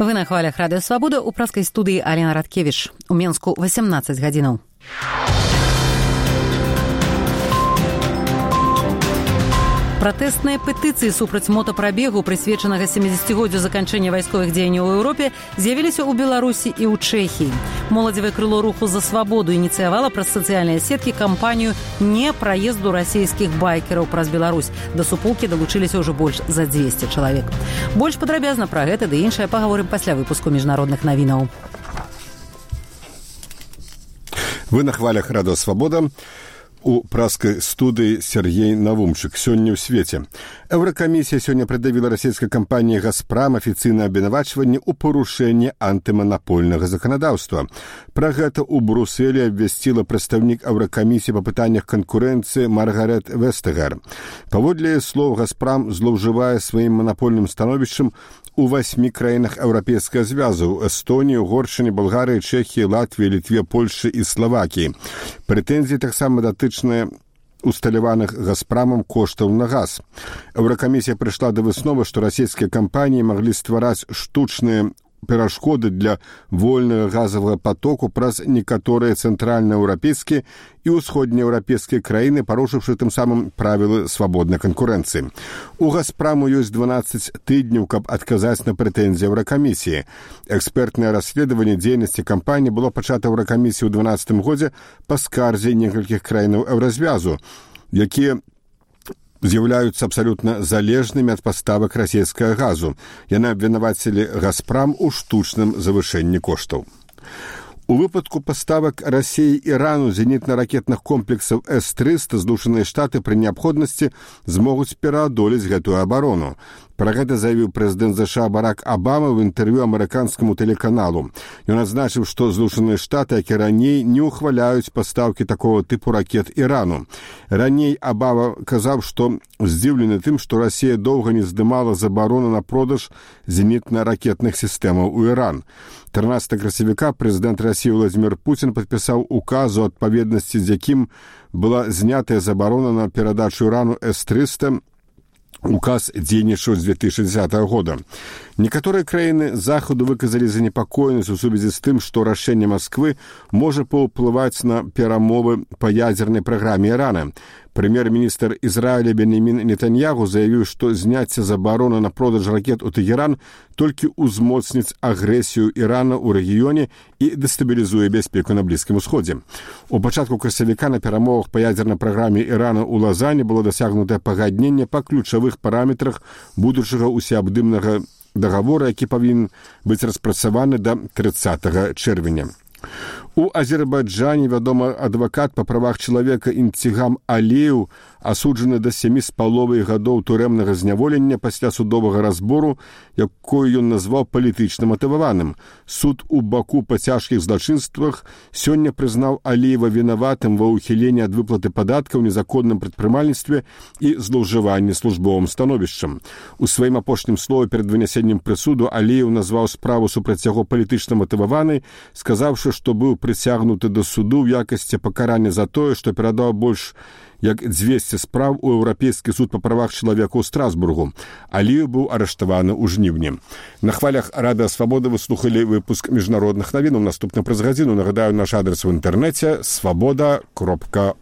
Вы на хвалях Радыё Свабода, у праскай студыі Алена Радкевіч. У Менску 18 гадзінаў. Пратэсныя петыцыі супраць мотапрабегу, прысвечанага 70-годдзю заканчэння вайсковых дзеянняў у Еўропе, з'явіліся ў Беларусі і ў Чэхіі. Моладзевае крыло руху за свабоду ініцыявала праз сацыяльныя сеткі кампанію «Не праезду расійскіх байкераў праз Беларусь». Да суполкі далучыліся ўжо больш за 200 чалавек. Больш падрабязна пра гэта ды іншае пагаворым пасля выпуску міжнародных навінаў. Вы на хвалях Радыё Свабода. У праскай студыі Сергей Навумчык. Сёння ў свеце. Еўракамісія сёння прыдавіла расійскай кампаніі «Газпрам» афіцыйнае абвінавачванне ў парушэнні антыманапольнага заканадаўства. Пра гэта ў Брусэлі абвясціла прадстаўнік Еўракамісіі па пытаннях канкурэнцыі Маргарет Вестэгар. Паводле слоў, «Газпрам» злоўжывае сваім манапольным становішчам у 8 краінах Еўрапейскага звязу – Эстоніі, Угоршчыне, Балгарыі, Чэхіі, Латвіі, Літве, Польшы і Славакіі. Прэтэнзіі таксама датычныя усталяваных «Газпрамам» коштаў на газ. Еўракамісія прыйшла да высновы, што расійскія кампаніі маглі ствараць штучныя перашкоды для вольнага газавага потоку праз некаторыя цэнтральнаеўрапейскія і ўсходнееўрапейскія краіны, парушыўшы тым самым правілы свабоднай канкурэнцыі. У «Газпраму» ёсць 12 тыдняў, каб адказаць на прэтэнзіі Еўракамісіі. Экспертнае расследаванне дзейнасці кампаніі было пачата Еўракамісіі ў 2012 годзе па скарзе некалькіх краінаў Еўразвязу, якія з'яўляюцца абсалютна залежнымі ад паставак расійскага газу. Яны абвінавацілі «Газпрам» у штучным завышэнні коштаў. У выпадку паставак Расіі і Ірану зенітна-ракетных комплексаў С-300 Злучаныя Штаты пры неабходнасці змогуць пераадолець гэтую абарону. Пра гэта заявіў прэзідэнт ЗША Барак Абама ў інтэрв'ю амерыканскаму тэлеканалу. Ён адзначыў, што Злучаныя Штаты, як і раней, не ўхваляюць пастаўкі такого тыпу ракет Ірану. Раней Абама казаў, што здзіўлены тым, што Расія доўга не здымала забарону на продаж зенітна-ракетных сістэмаў у Іран. 13 красавіка прэзідэнт Расіі Владзімір Пуцін падпісаў указ, у адпаведнасці з якім была знятая забарона на перадачу Ірану С-300. Указ дзейнічаў з 2010 года. Некаторыя краіны захаду выказалі занепакоенасць у сувязі з тым, што рашэнне Масквы можа паўплываць на перамовы па ядзернай праграме Ірана. Прэм'ер-міністр Ізраіля Беньямін Нетаньягу заявіў, што зняцце забароны на продаж ракет у Тэгеран толькі ўзмоцніць агрэсію Ірана ў рэгіёне і дэстабілізуе бяспеку на Блізкім Усходзе. У пачатку красавіка на перамовах па ядзернай праграме Ірана ў Лазані было дасягнутае пагадненне па ключавых параметрах будучага усеабдымнага дагавора, які павінен быць распрацаваны да 30 чэрвеня. У Азербайджане, вядома, адвакат па правах чалавека Інтигам Аліеў асуджаны да 7,5 гадоў турэмнага зняволення пасля судовага разбору, якое ён назваў палітычна матываваным. Суд у Баку па цяжкіх злачынствах сёння прызнаў Аліева вінаватым ва ўхіленні ад выплаты падаткаў, незаконным прадпрымальніцтве і злоўжыванні службовым становішчам. У сваім апошнім слове перад вынясеннем прысуду Аліеў назваў справу супраць яго палітычна матываванай, сказаўшы, што быў прыцягнуты да суду ў якасці пакарання за тое, што перадаў больш як 200 спраў у Еўрапейскі суд па правах чалавека ў Страсбургу. Аліеў быў арыштаваны ў жніўні. На хвалях Радыё Свабода вы слухалі выпуск міжнародных навінаў. Наступны праз гадзіну. Нагадаю, наш адрес у інтэрнэце свабода.орг.